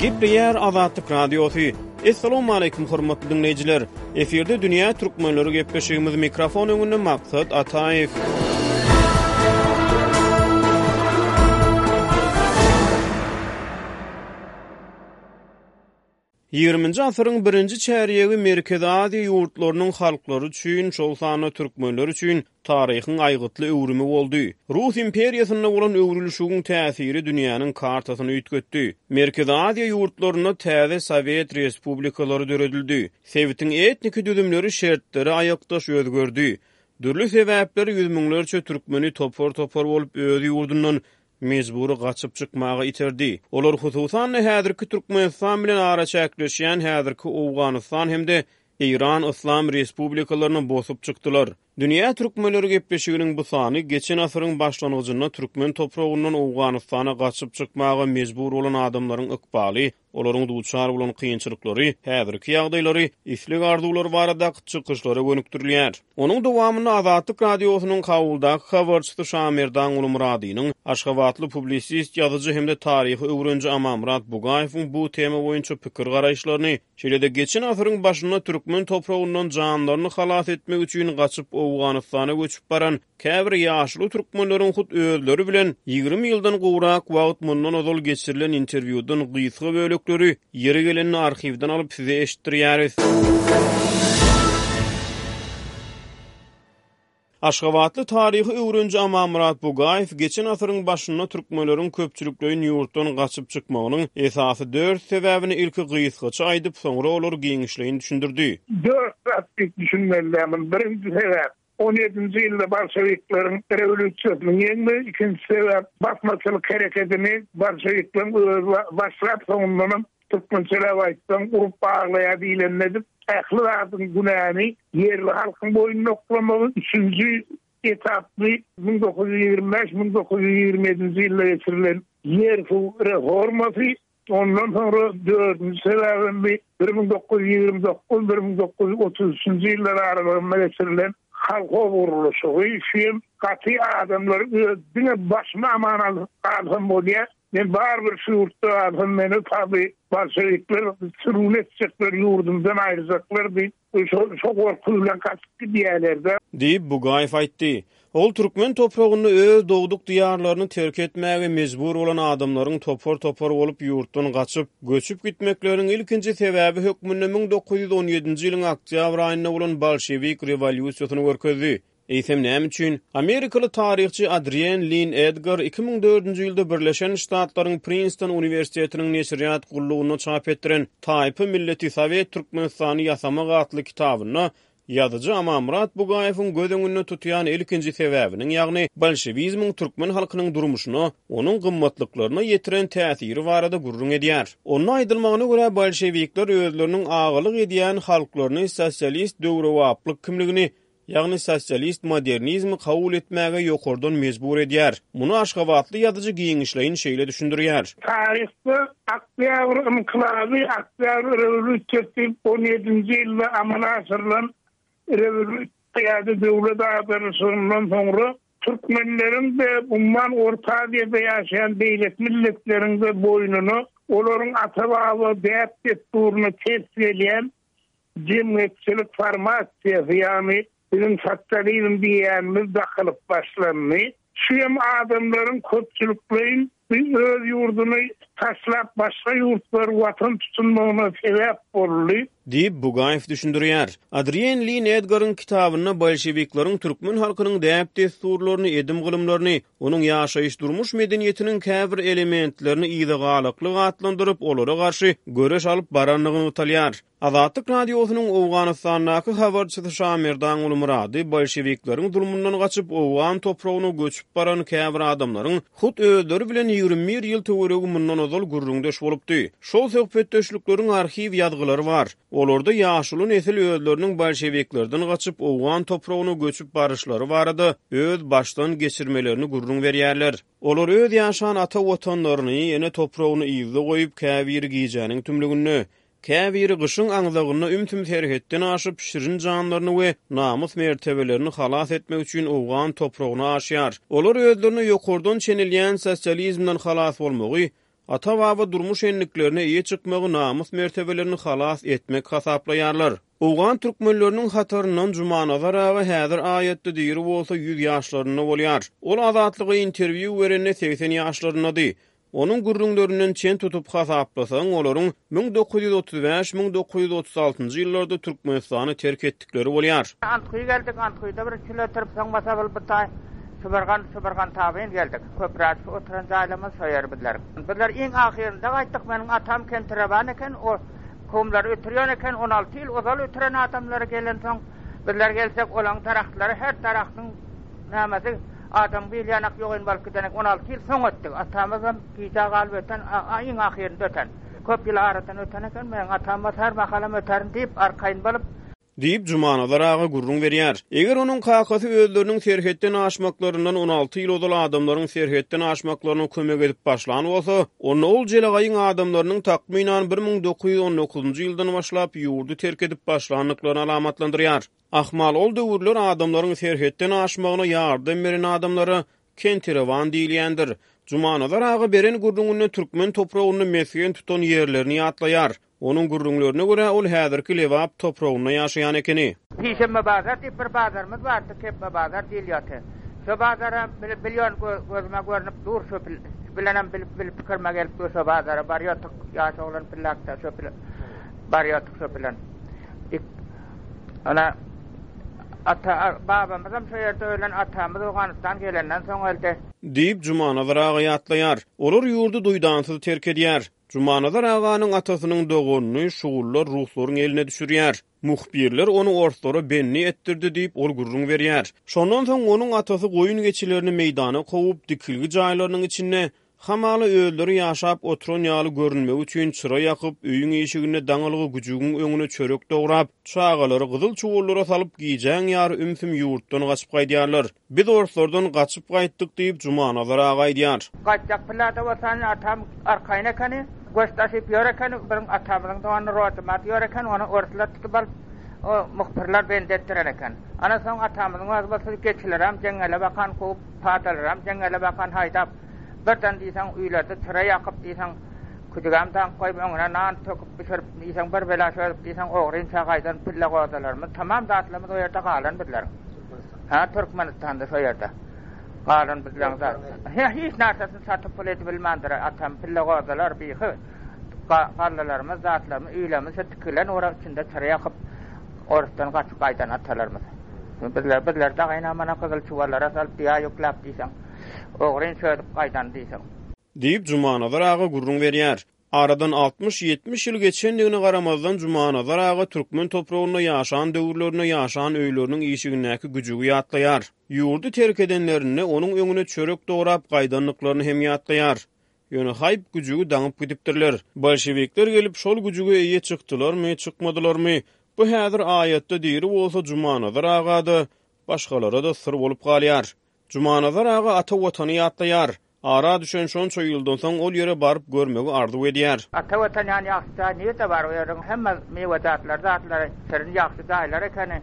Gepleýär Azatlyk Radiosy. Assalamualaikum hormatly diňleýjiler. Efirde dünýä türkmenleri gepleşigimiz mikrofon öňünde Maksat Ataýew. Ýigriminji asyryň birinji çärýegi Merkezi Aziýa ýurtlarynyň halklary üçin, şol sanda türkmenler üçin taryhyň aýgytly öwrümi boldy. Rus imperiýasynda bolan öwrülişigiň täsiri dünýäniň kartasyny üýtgetdi. Merkezi Aziýa ýurtlarynda täze sowet respublikalary döredildi. Sebitiň etniki düzümleri şertlere aýakdaş özgerdi. Dürli sebäpler ýüz müňlerçe türkmeni topar-topar bolup öz ýurdundan mejbury gaçyp çykmaga iterdi. Olar hususan-da häzirki Türkmenistan bilen araçäkleşýän häzirki Owganystan hem-de Eýran Yslam Respublikalaryny bosup çykdylar. Dünýä türkmenleri gepleşiginiň bu sany geçen asyryň başlangyjynda türkmen topragyndan Owganystana gaçyp çykmaga mejbur bolan adamlaryň ykbaly, olaryň duçar bolan kynçylyklary, häzirki ýagdaýlary, isleg-arzuwlary baradaky çykyşlara gönükdirilýär. Onuň dowamynda Azatlyk Radiosynyň Kabuldaky habarçysy Şamerdan Gulmyradynyň, aşgabatly publisist ýazyjy hem-de taryhy öwreniji Amanmyrat Bugaýewiň bu tema boýunça pikir-garaýyşlaryny, şeýle-de geçen asyryň başynda türkmen topragyndan janlaryny halas etmek üçin gaçyp Owganystana göçüp baran Käbir ýaşuly türkmenleriň hut özleri bilen 20 ýyldan gowrak wagt mundan ozal geçirilen interwýudan gysga bölekleri ýeri gelende arhiwden alyp size eşitdirýäris. Aşgabatly taryhy öwreniji Amanmyrat Bugaýew geçen asyryň başynda türkmenleriň köpçülikleýin ýurtdan gaçyp çykmagynyň esasy dört sebäbini ilki gysgaça aýdyp, soňra olary giňişleýin düşündirdi. Dört zat diýip düşünmeli däl muny. Birinji sebäp, On ýedinji ýylda bolşewikleriň rewolýusiýasynyň ýeňmegi, ikinji sebäp basmaçylyk herekedini bolşewikleriň özi başlap, soňundanam türkmençeläp aýtsaň urup aglaýar diýlenini edip, ähli zadyň günäni ýerli halkyň boýnuna oklamagy, üçünji etaply 1925, 1927-nji ýylda geçirilen ýer-suw reformasy, Ondan soňra dördünji sebäbem bi 1929, 1933-nji ýyllar aralygynda geçirilen kolhoz gurluşygy. Şu hem gaty adamlar öz diňe başymy aman alyp galsam bolýar. Men barybir şu ýurtda galsam meni taby bolşewikler sürgün etjekler, ýurdumdan aýyrjaklar diýip, Şo gorky bilen gaçyp gidýärler-de. Diýip, Bugaýew aýtdy. Ol türkmen topragynda öz dogduk diýarlaryny terk etmäge mejbur bolan adamlaryň topar-topar bolup ýurtdan gaçyp, göçüp gitmekleriniň ilkinji sebäbi hökmünde 1917-nji ýylyň oktýabr aýynda bolan bolşewik rewolýusiýasyny görkezdi. Eýsem näme üçin? Amerikaly taryhçy Adrienn Lin Edgar 2004-nji ýylda Birleşen Ştatlaryň Prinston uniwersitetiniň neşirýat gullugynda çap etdiren Taýpa milleti Sowet Türkmenistany ýasamak atly kitabynda ýazyjy Amanmyrat Bugaýewiň göz öňünde tutýan ilkinji sebäbiniň, ýagny bolşewizmiň türkmen halkynyň durmuşyna, onuň gymmatlyklaryna ýetiren täsiri barada gürrüň edýär. Onda aýdylmagyna görä, bolşewikler özleriniň agalyk edýän halklaryny sosialist döwrebaplyk kimligini ýagny sosialist modernizmi kabul etmäge ýokardan mejbur edýär. Muny aşgabatly ýazyjy giňişleýin şeýle düşündirýär. Taryhda Oktýabr ynkylaby, Oktýabr rewolýusiýasy diýip on ýedinji ýylda amala aşyrylan rewolýusiýa ýa-da döwlet agdarylyşygyndan soňra türkmenleriň-de, umuman Orta Aziýada ýaşaýan beýleki milletleriň-de boýnuna olaryň ata-baba däp-dessuryna ters gelýän Jemgyýetçilik formasiýasy, ýagny biziň sosializm diýýänimiz dakylyp başlandy. Şu hem adamlaryň köpçülikleýin öz ýurduny taşlap başga ýurtlary watan tutunmagyna sebäp boldy. Diýip, Bugaýew düşündirýär. Adrienn Lin Edgaryň kitabynda bolşewikleriň türkmen halkynyň däp-dessurlaryny, edim-gylymlaryny, onuň ýaşaýyş-durmuş medeniýetiniň käbir elementlerini yzagalaklyk atlandyryp, olara garşy göreş alyp barandygy nygtalýar. Azatlyk Radiosynyň Owganystandaky habarçysy Şamerdan Gulmyrady bolşewikleriň zulmundan gaçyp, owgan topragyna göçüp baran käbir adamlaryň hut özleri bilen 21 ýyl töweregi mundan ozal gürrüňdeş bolupdy. Şol söhbetdeşlikleriň arhiw ýazgylary bar. Olarda ýaşuly nesil özleriniň bolşewiklerden gaçyp, owgan topragyna göçüp baryşlary barada öz başdan geçirmelerini gürrüň berýärler. Olar öz ýaşan ata Watanlaryny, ene topragyny yzda goýup, käbiri gijäniň tümlüginde, käbiri gyşyň aňzagynda ümsüm serhetden aşyp, şirin janlaryny we namys-mertebelerini halas etmek üçin owgan topragyna aşýar. Olar özlerine ýokardan çenelýän sosializmden halas bolmagy, Ata-baba durmuş endiklerine eýe çykmagy namys-mertebelerini halas etmek hasaplaýarlar. Owgan türkmenleriniň hataryndan Jumanazar aga häzir aýatda diri bolsa ýüz ýaşlarynda bolýar. Ol Azatlyga interwýu berende 80 ýaşlaryndady. Onuň gürrüňlerinden çen tutup hasaplasaň, olaryň 1935, 1936-njy ýyllarda Türkmenistany terk etdikleri bolýar. Antguýy geldik, Antguýyda bir çil ötürip, soň bolsa bir bu taý Şubargan, Şubargan tabyn geldik. Köpräk şu oturan jaýlarymyz şo ýer bizleriň. Bizler iň ahyrynda gaýtdyk, meniň atam kentireban eken, o kumlary ötürýän eken, 16 ýyl ozal ötüren adamlary gelensoň, bizler gelsek, olaň daragtlary, her daragtyň nämesi, adam bil ýanak ýogyn bolup giden eken, 16 ýyl soň ötdük. Atamyzam gijä galyp öten, iň ahyrynda öten. Köp ýyl aradan öten eken, meniň atam bolsa her mahalam öterin diýip, arkaýyn bolup, Diýip, Jumanazar aga gürrüň berýär. Eger onuň kakasy özleriniň serhetden aşmaklaryndan 16 ýyl ozal adamlaryň serhetden aşmaklaryna kömek edip başlan bolsa, onda ol jelegaýyň adamlarynyň takmynan 1919-njy ýyldan başlap ýurdy terk edip başlandyklaryny alamatlandyrýar. Ahmal ol döwürler adamlaryň serhetden aşmagyna ýardam beren adamlara Kentirewan diýilýändir. Jumanazar aga beren gürrüňinde türkmen topragynda mesgen tutan ýerlerini ýatlaýar. Onuň gürrüňlerine görä, ol häzirki Lebap topragynda ýaşaýan ekeni. Sişenbe bazar diýip bir bazarymyz bardy, kepbe bazar diýilýärdi. Şo bazara bilýän gözüme görnüp dur şo bilenem bilip bilip pikirime gelip dur şo bazara barýardyk ýaş oglan pillakda şo barýardyk şo bilen. Ana ata babamyzam şo ýerde ölen atamyz Owganystan gelenden soň öldi. Diýip, Jumanazar aga ýatlaýar. Olar ýurdy duýdansyz terk edýär. Jumanazar aganyň atasynyň doganyny şugullar ruslaryň eline düşürýär. Muhbirler ony orslara bendi etdirdi diýip, ol gürrüň berýär. Şondan soň onuň atasy goýun-geçilerini meýdana kowup, dikilgi jaýlarynyň içinde, hamala özleri ýaşap oturan ýaly görünmegi üçin çyra ýakyp, öýüň işiginde daňylgy güjügiň öňüne çörek dograp, çagalary gyzyl çuwallara salyp, gijäň ýary ümsüm ýurtdan gaçyp gaýdýarlar. Biz orslardan gaçyp gaýtdyk diýip, Jumanazar aga aýdýar. Gaýtjak pillada bolsa indi atam arkaýyn ekeni, göç daşyp ýör ekeni, biziň atamyzyň dogany Rozymat ýör eken, ony orslar tutup alyp, o muhbirler bendi etdiren eken. Ana soň atamyzyň özi bolsa geçilerem jeňňele bakan kowup, padalaram jeňňele bakan haýdap, birden diýseň öýlerde çyra ýakyp diýseň, küjügem daňyp goýup, öňüne nan töküp bişirip diýseň bir bela çözüp diýseň ogrynça gaýdan pille gozalarymyz, tamam zatlarymyz o ýerde galan bizleriň. Hä Türkmenistanda şo ýerde galan bizleň zat. Hä hiç narsesini satyp pul edibilmändir atam pille gozalar bihy gallalarymyz zatlarymyz öýlerimiz şo tikilen ora içinde çyra ýakyp orusdan gaçyp gaýdan atalarymyz. Bizler bizler dagyna mana gyzyl çuwallara salyp düýä ýükläp diýseň ogryn çözüp gaýdan diýseň. Diýip Jumanazar aga gürrüň berýär. Aradan altmyş-ýetmiş ýyl geçendigine garamazdan, Jumanazar aga türkmen topragynda ýaşan döwürlerinde ýaşan öýleriniň işigindäki güjügi ýatlaýar. Ýurdy terk edenlerinde onuň öňüne çörek dograp gaýdandyklaryny hem ýatlaýar. Ýöne haýp, güjügi daňyp gidipdirler. Bolşewikler gelip, şol güjüge eýe çykdylarmy, çykmadylarmy, bu häzir aýatda diri bolsa Jumanazar aga-da, başgalara-da syr bolup galýar. Jumanazar aga ata Watany ýatlaýar. Ara düşen şonça ýyldan soň ol ýere baryp görmegi arzuw edýär. Ata Watan ýaly ýagşy jaý nirde bar? O ýeriň hemme miwejatlary, zatlary şirin ýagşy jaýlar ekeni.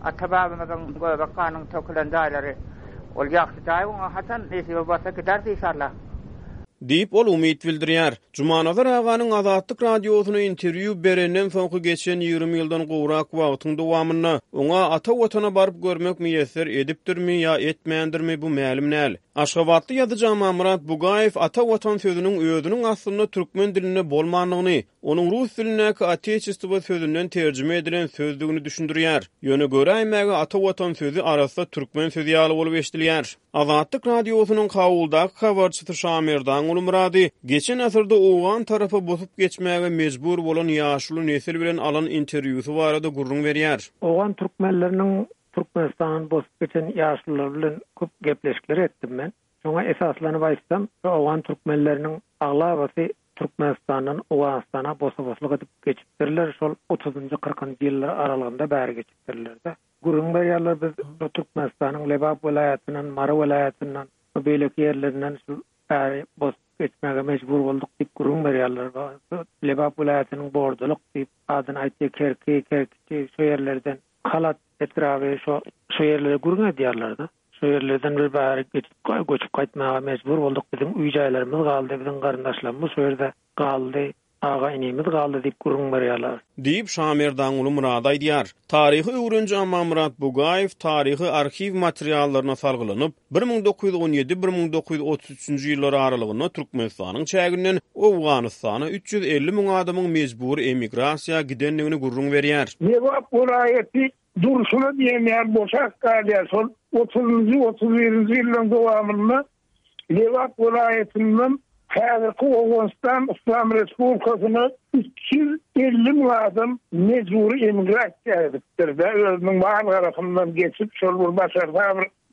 Ata-babamyzyň göbek ganyň tökülen jaýlary. Ol ýagşy jaý oňa haçan nesibe bolsa gideris işalla. Diýip, ol umyt bildirýär. Jumanazar aganyň Azatlyk Radiosyna interwýu berenden soňky geçen 20 ýyldan gowrak wagtyň dowamynda oňa ata Watana baryp görmek miýesser edipdirmi ýa etmändirmi, bu mälim däl. Aşgabatly ýazyjy Amanmyrat Bugaýew ata Watan sözüniň özüniň aslynda türkmen dilinde bolmandygyny, onuň rus dilindäki oteçestwo sözünden terjime edilen sözdügini düşündirýär. Ýöne göräýmäge ata Watan sözi arassa türkmen sözi ýaly bolup eşidilýär. Azatlyk Radiosynyň Kabuldaky habarçysy Şamerdan Gulmyrady geçen asyrda owgan tarapa bosup geçmäge mejbur bolan ýaşuly nesil bilen alan interwýusy barada gürrüň berýär. Owgan türkmenleriniň Türkmenistandan bosup geçen ýaşululary bilen köp gepleşikler etdim men. Şoňa esaslanyp aýtsam, şu owgan türkmenleriniň aglabasy Türkmenistandan Owganystana bosa-boslyk edip geçipdirler, şol otuzynjy, kyrkynjy ýyllar aralygynda bäri geçipdirler-de. Gürrüň berýärler, biz şu Türkmenistanyň Lebap welaýatyndan, Mary welaýatyndan we beýleki ýerlerinden şu bäri bosup geçmäge mejbur bolduk diýip gürrüň berýärler. Lebap welaýatynyň Bordulyk diýip adyny aýtýar, Kerki, Kerkiçi şo ýerlerden, Halat etraby şo şo ýerlere gürrüň edýärler-de. Şo ýerlerden bir bärik geçip göçüp gaýtmaga mejbur bolduk. Biziň öý-jaýlarymyz galdy, biziň garyndaşlarymyz şo ýerde galdy, aga-inimiz galdy diýip gürrüň berýärler. Diýip, Şamerdanguly Myrady aýdýar. Taryhy öwreniji Amanmyrat Bugaýew taryhy arhiw materiallaryna salgylanyp, 1917, 1933-nji ýyllar aralygynda Türkmenistanyň çäginden Owganystana 350 müň adamyň mejbury emigrasiýa gidendigini gürrüň berýär. Lebap welaýaty durşuna diýen ýaly boşap galýar. Şol otuzynjy, 31-nji ýyllaryň dowamynda Lebap welaýatyndan häzirki Owganystan Yslam Respublikasyna 350 müň adam mejbury emigrasiýa edipdir-de, özüniň mal-garasyndan geçip, şol bir başarsa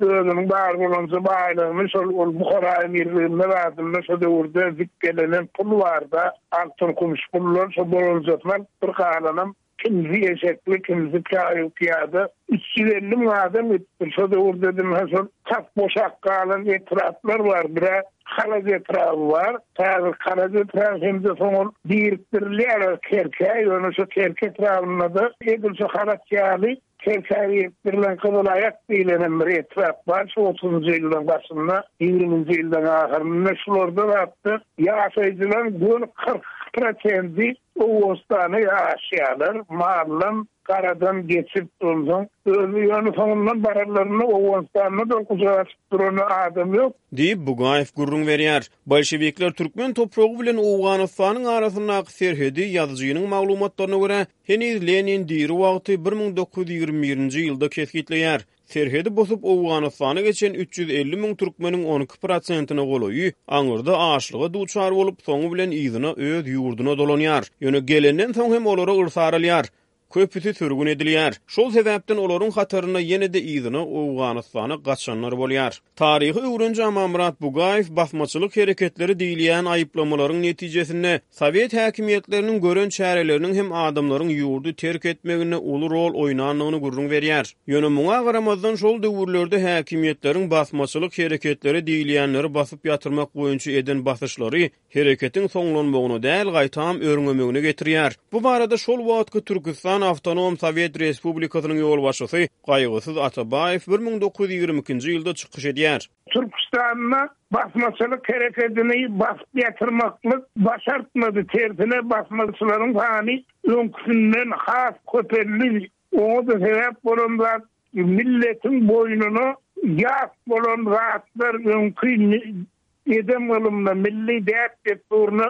bir özüniň bar bolanja baýlygyny şol ol Buhara emirliginde zadynda şo döwürde zikgelenen pul barda, altyn-kümüş pullar şo bolanjasyny alypdyr, galanam Kimsi eşekli, kimsi çaýu-pyýada. 350 müň adam gitdi. Şo döwürde diňe şol tas boşap galan etraplar bar. Bir-ä Halaç etraby bar. Häzir Halaç etraby hem-de soň ol birikdirilýär Kerkä. Ýöne şo Kerki etrabynda-da edil şo Halaç ýaly Kerkä birikdirilen Gyzylaýak diýlen hem bir etrap bar. Şu otuzynjy ýyllaryň başynda, ýigriminji ýyllaryň ahyrynda şularda zatda ýaşaýjylaryň göni 42 prosendi Owganystana ýaşaýarlar, maldan, garadan geçip, onsoň özi ýöne soňundan baranlarynda Owganystanda-da gujak açyp duran adam ýok. Diýip, Bugaýew gürrüň berýär. Bolşewikler türkmen topragy bilen Owganystanyň arasyndaky serhedi, ýazyjynyň maglumatlaryna görä, heniz Lenin diri wagty 1921-nji ýylda kesgitleýär. Serhedi bosup Owganystana geçen 350 müň türkmeniň 12 prosentine golaýy aňyrda açlyga duçar bolup, soňy bilen yzyna öz ýurduna dolanýar. Ýöne gelenden soň hem olara yrsaralýar. Köpüsi sürgün edilýär. Şol sebäpden olaryň hatarynda ýene-de yzyna Owganystana gaçanlar bolýar. Taryhy öwreniji Amanmyrat Bugaýew basmaçylyk hereketleri diýilýän aýyplamalaryň netijesinde sowet häkimiýetleriniň gören çäreleriniň hem adamlaryň ýurdy terk etmeginde uly rol oýnandygyny gürrüň berýär. Ýöne muňa garamazdan şol döwürlerde häkimiýetleriň basmaçylyk hereketleri diýilýänleri basyp ýatyrmak boýunça eden basyşlary hereketiň soňlanmagyna däl, gaýtam örňemegine getirýär. Bu barada şol wagtky Türküstan Awtonom Sowet Respublikasynyň ýolbaşçysy Gaýgysyz Atabaýew 1922-nji ýylda çykyş edýär. Türküstanda basmaçylyk herekedini basyp ýatyrmaklyk başartmady, tersine basmaçylaryň sany öňküsinden has köpeldi. Oňa-da sebäp bolan zat milletiň boýnuna ýat bolan zatlar öňki Edem-gylymyna, milli däp-dessuryna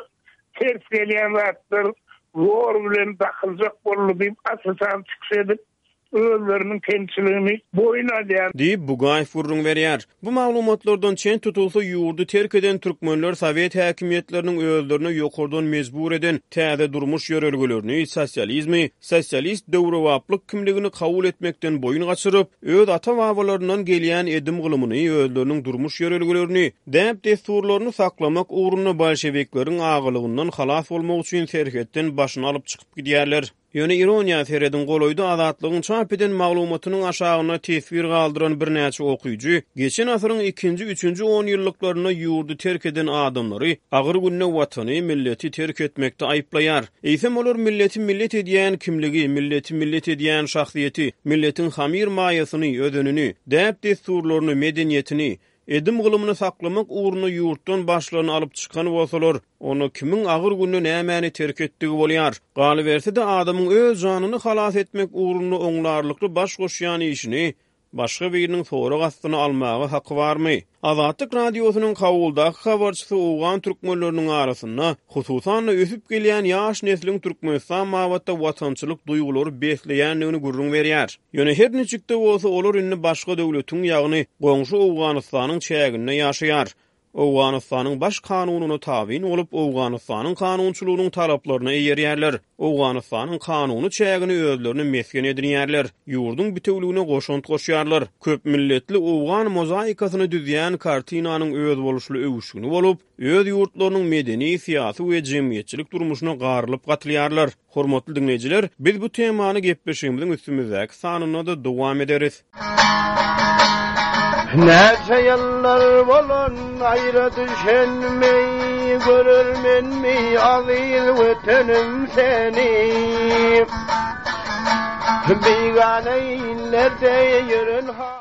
ters gelýän zatlar zor bilen dakyljak boldy diýip, aç-açan çykyş edip, özleriniň kemçiligini boýun alýar. Diýip, Bugaýew gürrüň berýär. Bu maglumatlardan çen tutulsa, ýurdy terk eden türkmenler sowet häkimiýetleriniň özlerine ýokardan mejbur eden täze durmuş ýörelgelerini, sosializmi, sosialist döwrebaplyk kimligini kabul etmekden boýun gaçyryp, öz ata-babalaryndan gelýän edim-gylymyny, özleriniň durmuş ýörelgelerini, däp-dessurlaryny saklamak ugrunda bolşewikleriň agalygyndan halas bolmak üçin serhetden başyny alyp çykyp gidýärler. Ýöne ironiýa serediň, golaýda Azatlygyň çap eden maglumatynyň aşagynda teswir galdyran birnäçe okyjy geçen asyryň ikinji, üçünji onýyllyklarynda ýurdy terk eden adamlary agyr günde watany, milleti terk etmekde aýyplaýar. Eýsem olar milleti millet edýän kimligi, milleti millet edýän şahsyýeti, milletiň hamyr-maýasyny, özenini, däp-dessurlaryny, medeniýetini, edim-gylymyny saklamak ugrunda ýurtdan başlaryny alyp çykan bolsalar, onda kimiň agyr günde nämäni terk etdigi bolýar? Galyberse-de, adamyň öz janyny halas etmek ugrunda oňlarlykly baş goşýan işini Başga biriniň sorag astyna almaga haky barmy? Azatlyk Radiosynyň Kabuldaky habarçysy owgan türkmenleriniň arasynda, hususan-da, ösüp gelýän ýaş nesliň Türkmenistan babatda watançylyk duýgulary besleýändigini gürrüň berýär. Ýöne her niçik-de bolsa, olar indi başga döwletiň, ýagny goňşy Owganystanyň çäginde ýaşaýar. Owganystanyň Baş kanunyna tabyn bolup, Owganystanyň kanunçylygynyň talaplaryna eýerýärler, Owganystanyň kanuny çägini özlerine mesgen edinýärler, ýurduň bitewüligine goşant goşýarlar. Köpmilletli owgan mozaikasyny düzýän kartinanyň özboluşly öwüşgini bolup, öz ýurtlarynyň medeni, syýasy we jemgyýetçilik durmuşyna garylyp-gatylýarlar. Hormatly diňleýjiler, biz bu temany gepleşigimiziň üstümizdäki sanynda-da dowam ederis. Näçe ýyllar bolan aýra düşenimi, Görermenmi aziz Wetenim seni. Bigana illerde ýören.